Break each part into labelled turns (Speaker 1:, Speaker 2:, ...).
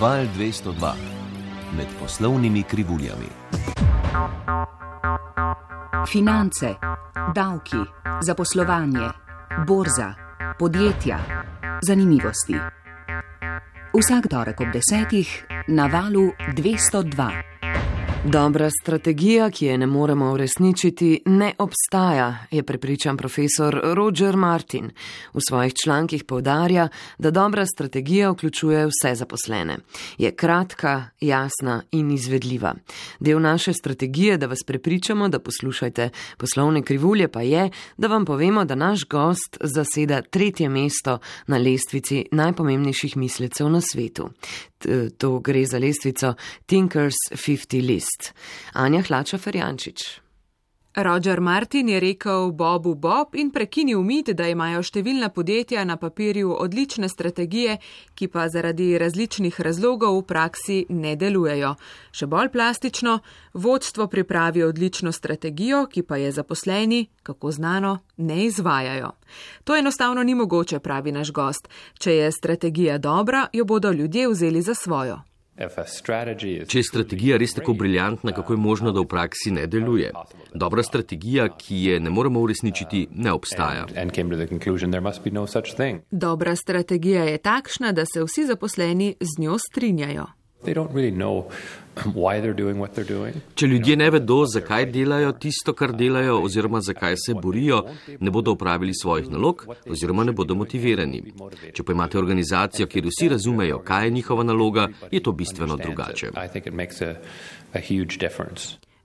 Speaker 1: Val 202 med poslovnimi krivuljami.
Speaker 2: Finance, davki, zaposlovanje, borza, podjetja, zanimivosti. Vsak torek ob 10:00 na Valu 202.
Speaker 3: Dobra strategija, ki je ne moremo uresničiti, ne obstaja, je prepričan profesor Roger Martin. V svojih člankih poudarja, da dobra strategija vključuje vse zaposlene. Je kratka, jasna in izvedljiva. Del naše strategije, da vas prepričamo, da poslušajte poslovne krivulje, pa je, da vam povemo, da naš gost zaseda 3. mesto na lestvici najpomembnejših mislecev na svetu. To gre za lestvico Thinkers 50 List. Anja Hlača-Ferjančič.
Speaker 4: Roger Martin je rekel Bobu Bob in prekinil mit, da imajo številna podjetja na papirju odlične strategije, ki pa zaradi različnih razlogov v praksi ne delujejo. Še bolj plastično, vodstvo pripravi odlično strategijo, ki pa je zaposleni, kako znano, ne izvajajo. To enostavno ni mogoče, pravi naš gost. Če je strategija dobra, jo bodo ljudje vzeli za svojo.
Speaker 5: Če je strategija res tako briljantna, kako je možno, da v praksi ne deluje? Dobra strategija, ki je ne moremo uresničiti, ne obstaja.
Speaker 4: Dobra strategija je takšna, da se vsi zaposleni z njo strinjajo.
Speaker 5: Če ljudje ne vedo, zakaj delajo tisto, kar delajo, oziroma zakaj se borijo, ne bodo opravili svojih nalog, oziroma ne bodo motivirani. Če pa imate organizacijo, kjer vsi razumejo, kaj je njihova naloga, je to bistveno drugače.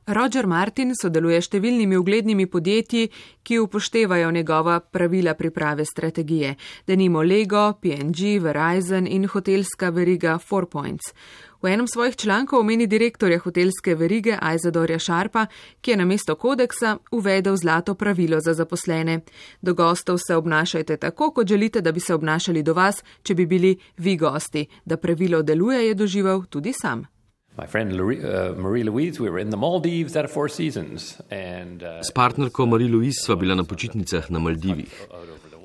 Speaker 4: Roger Martin sodeluje s številnimi uglednimi podjetji, ki upoštevajo njegova pravila priprave strategije, denimo Lego, P&G, Verizon in hotelska veriga 4 Points. V enem svojih člankov omeni direktorja hotelske verige Isadorja Sharpa, ki je namesto kodeksa uvedel zlato pravilo za zaposlene. Do gostov se obnašajte tako, kot želite, da bi se obnašali do vas, če bi bili vi gosti. Da pravilo deluje, je doživel tudi sam.
Speaker 5: S partnerko Marie-Louise sva bila na počitnicah na Maldivih.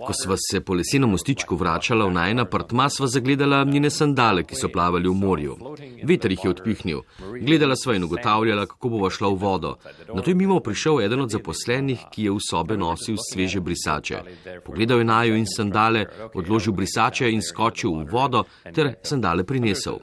Speaker 5: Ko sva se po lesenem mostičku vračala v najin apartma, sva zagledala njene sandale, ki so plavali v morju. Veter jih je odpihnil. Gledala sva in ugotavljala, kako bova šla v vodo. Nato je mimo prišel eden od zaposlenih, ki je v sobe nosil sveže brisače. Pogledal je naju in sandale, odložil brisače in skočil v vodo ter sandale prinesel.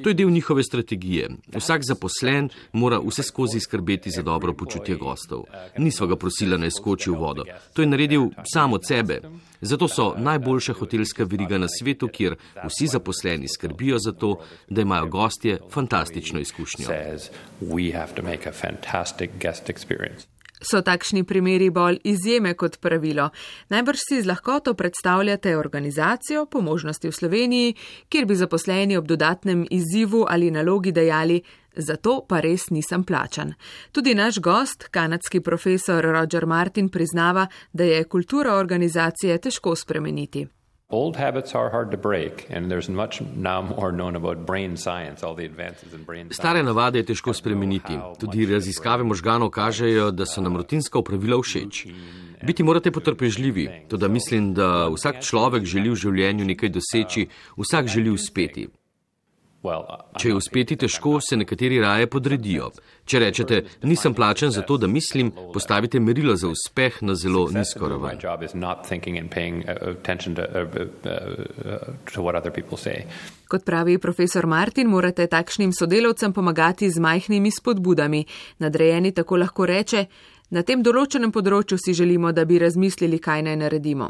Speaker 5: To je del njihove strategije. Vsak zaposlen mora vse skozi skrbeti za dobro počutje gostov. Nisva ga prosila, naj skoči v vodo. To je naredil sam od sebe. Zato so najboljša hotelska veriga na svetu, kjer vsi zaposleni skrbijo za to, da imajo gostje fantastično izkušnjo.
Speaker 4: So takšni primeri bolj izjeme kot pravilo. Najbrž si z lahkoto predstavljate organizacijo, po možnosti v Sloveniji, kjer bi zaposleni ob dodatnem izzivu ali nalogi dejali: zato pa res nisem plačan. Tudi naš gost, kanadski profesor Roger Martin, priznava, da je kultura organizacije težko spremeniti.
Speaker 5: Stare navade je težko spremeniti. Tudi raziskave možganov kažejo, da so nam rutinska opravila všeč. Biti morate potrpežljivi, toda mislim, da vsak človek želi v življenju nekaj doseči, vsak želi uspeti. Če je uspeti težko, se nekateri raje podredijo. Če rečete, nisem plačan za to, da mislim, postavite merilo za uspeh na zelo nizko raven.
Speaker 4: Kot pravi profesor Martin, morate takšnim sodelavcem pomagati z majhnimi spodbudami. Nadrejeni tako lahko reče: na tem določenem področju si želimo, da bi razmislili, kaj naj naredimo.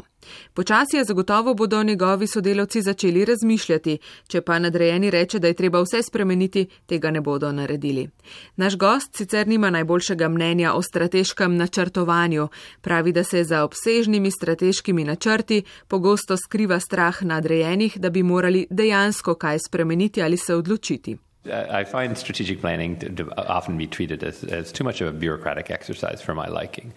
Speaker 4: Počasi zagotovo bodo njegovi sodelavci začeli razmišljati, če pa nadrejeni reče, da je treba vse spremeniti, tega ne bodo naredili. Naš gost sicer nima najboljšega mnenja o strateškem načrtovanju. Pravi, da se za obsežnimi strateškimi načrti pogosto skriva strah nadrejenih, da bi morali dejansko kaj spremeniti ali se odločiti.
Speaker 6: I find strategic planning to often be treated as too much of a bureaucratic exercise for my liking.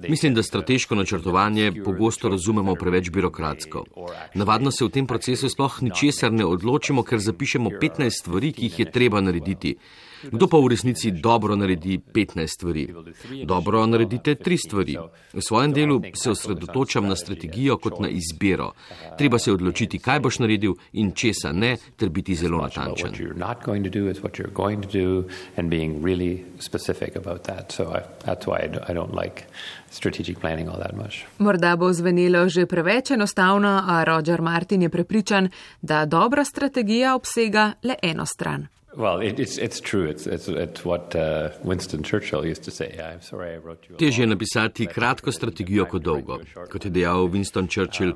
Speaker 5: Mislim, da strateško načrtovanje pogosto razumemo preveč birokratsko. Navadno se v tem procesu sploh ničesar ne odločimo, ker zapišemo 15 stvari, ki jih je treba narediti. Kdo pa v resnici dobro naredi 15 stvari? Dobro naredite 3 stvari. V svojem delu se osredotočam na strategijo kot na izbiro. Treba se odločiti, kaj boš naredil in česa ne, ter biti zelo natančen.
Speaker 4: Morda bo zvenelo že preveč enostavno, a Roger Martin je prepričan, da dobra strategija obsega le eno stran.
Speaker 5: Težje je napisati kratko strategijo kot dolgo. Kot je dejal Winston Churchill,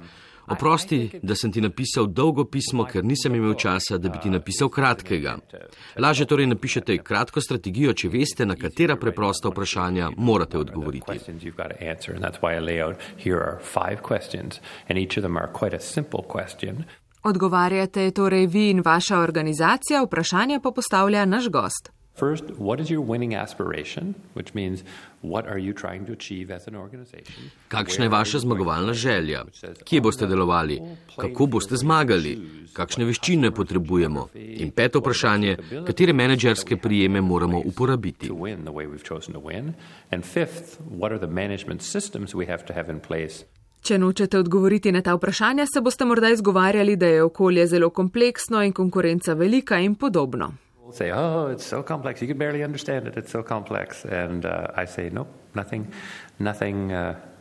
Speaker 5: oprosti, da sem ti napisal dolgo pismo, ker nisem imel časa, da bi ti napisal kratkega. Lažje torej napišete kratko strategijo, če veste, na katera preprosta vprašanja morate odgovoriti.
Speaker 4: Odgovarjate torej vi in vaša organizacija, vprašanja pa postavlja naš gost.
Speaker 6: First, what is your winning aspiration, which means what are you trying to achieve as an organization?
Speaker 5: Kakšna je vaša zmagovalna želja? Kje boste delovali? Kako boste zmagali? Kakšne veščine potrebujemo? In peto vprašanje, katere menedžerske prijeme moramo uporabiti?
Speaker 6: And fifth, what are the management systems we have to have in place?
Speaker 4: Če nočete odgovoriti na ta vprašanja, se boste morda izgovarjali, da je okolje zelo kompleksno in konkurenca velika in podobno.
Speaker 6: Say, oh, it's so complex, you can barely understand it, it's so complex. And I say, nope, nothing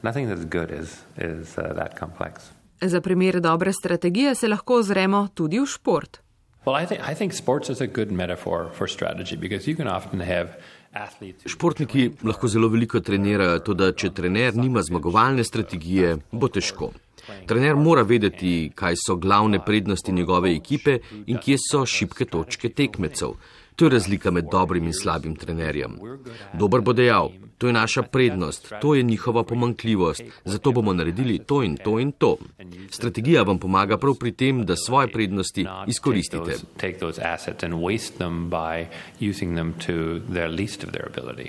Speaker 6: that's good is that complex.
Speaker 4: Za primer dobre strategije se lahko ozremo tudi v šport.
Speaker 6: Well, I think sports is a good metaphor for strategy, because you can often have athletes...
Speaker 5: Športniki lahko zelo veliko trenirajo, toda če trener nima zmagovalne strategije, bo težko. Trener mora vedeti, kaj so glavne prednosti njegove ekipe in kje so šibke točke tekmecev. To je razlika med dobrim in slabim trenerjem. Dober bo dejal, to je naša prednost, to je njihova pomanjkljivost, zato bomo naredili to in to in to. Strategija vam pomaga prav pri tem, da svoje prednosti izkoristite.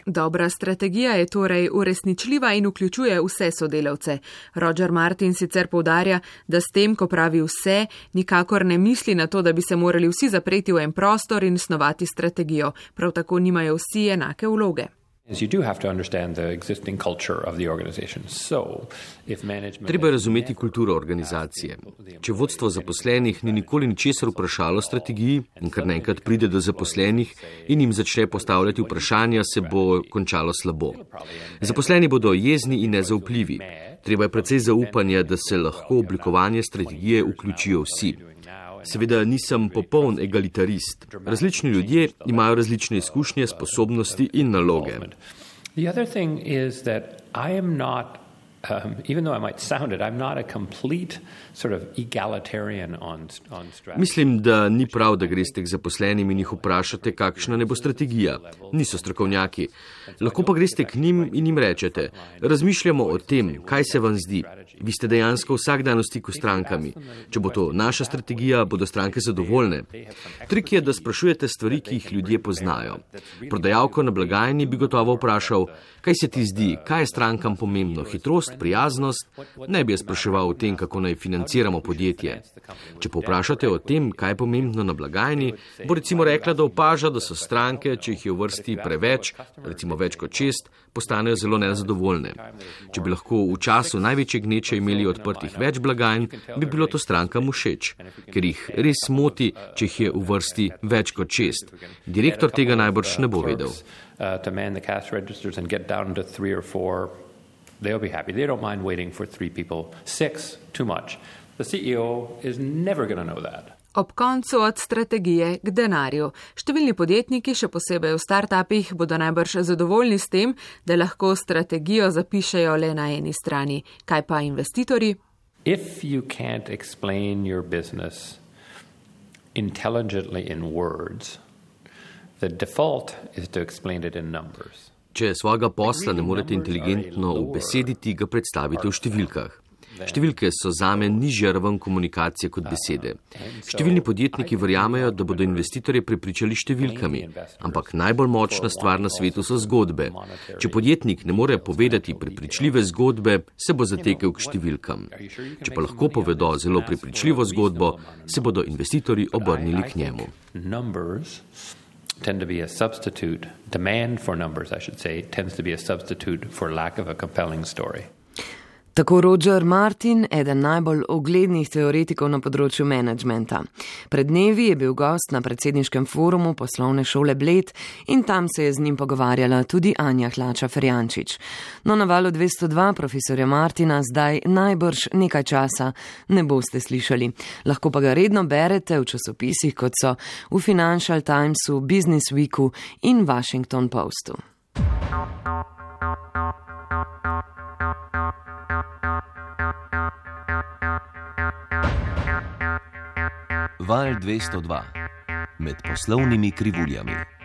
Speaker 4: Dobra strategija je torej uresničljiva in vključuje vse sodelavce. Roger Martin sicer poudarja, da s tem, ko pravi vse, nikakor ne misli na to, da bi se morali vsi zapreti v en prostor in snovati strategijo. Prav tako nimajo vsi enake vloge.
Speaker 5: Treba je razumeti kulturo organizacije. Če vodstvo zaposlenih ni nikoli ničesar vprašalo strategiji in kar naenkrat pride do zaposlenih in jim začne postavljati vprašanja, se bo končalo slabo. Zaposleni bodo jezni in nezaupljivi. Treba je precej zaupanja, da se lahko oblikovanje strategije vključijo vsi. Seveda nisem popoln egalitarist. Različni ljudje imajo različne izkušnje, sposobnosti in naloge.
Speaker 6: The other thing is that I am not, even though I might sound it, I'm not a complete sort of egalitarian on strategy.
Speaker 5: Mislim, da ni prav, da greste k zaposlenim in jih vprašate, kakšna ne bo strategija. Niso strokovnjaki. Lahko pa greste k njim in jim rečete, razmišljamo o tem, kaj se vam zdi. Vi ste dejansko vsak dan v stiku s strankami. Če bo to naša strategija, bodo stranke zadovoljne. Trik je, da sprašujete stvari, ki jih ljudje poznajo. Prodajalko na blagajni bi gotovo vprašal, kaj se ti zdi, kaj je strankam pomembno, hitrost, prijaznost, ne bi je spraševal o tem, kako naj financiramo podjetje. Če povprašate o tem, kaj je pomembno na blagajni, bo recimo rekla, da opaža, da so stranke, če jih je v vrsti preveč, recimo več kot 6, postanejo zelo nezadovoljne. Če bi lahko v času največje gneče imeli odprtih več blagajn, bi bilo to strankam všeč, ker jih res moti, če jih je v vrsti več kot 6. Direktor tega najbrž ne bo vedel.
Speaker 6: To man the cash registers and get down to 3 or 4, they'll be happy. They don't mind waiting for 3 people. 6, too much. The CEO is never going to know that.
Speaker 4: Ob koncu od strategije k denarju. Številni podjetniki, še posebej v startupih, bodo najbrž zadovoljni s tem, da lahko strategijo zapišejo le na eni strani. Kaj pa investitorji?
Speaker 6: If you can't explain your business intelligently in words, the default is to explain it in numbers.
Speaker 5: Če svojega posla ne morete inteligentno ubesediti, ga predstavite v številkah. Številke so zame nižja raven komunikacije kot besede. Številni podjetniki verjamejo, da bodo investitorje prepričali številkami, ampak najbolj močna stvar na svetu so zgodbe. Če podjetnik ne more povedati prepričljive zgodbe, se bo zatekel k številkam. Če pa lahko povedo zelo prepričljivo zgodbo, se bodo investitorji obrnili k njemu.
Speaker 6: tend to be a substitute, demand for numbers, I should say, tends to be a substitute for lack of a compelling story.
Speaker 3: Tako Roger Martin, eden najbolj uglednih teoretikov na področju menedžmenta. Pred dnevi je bil gost na predsedniškem forumu poslovne šole Bled in tam se je z njim pogovarjala tudi Anja Hlača-Ferjančič. No, na Valu 202 profesorja Martina zdaj najbrž nekaj časa ne boste slišali. Lahko pa ga redno berete v časopisih, kot so v Financial Timesu, Business Weeku in Washington Postu.
Speaker 1: Val 202 med poslovnimi krivuljami.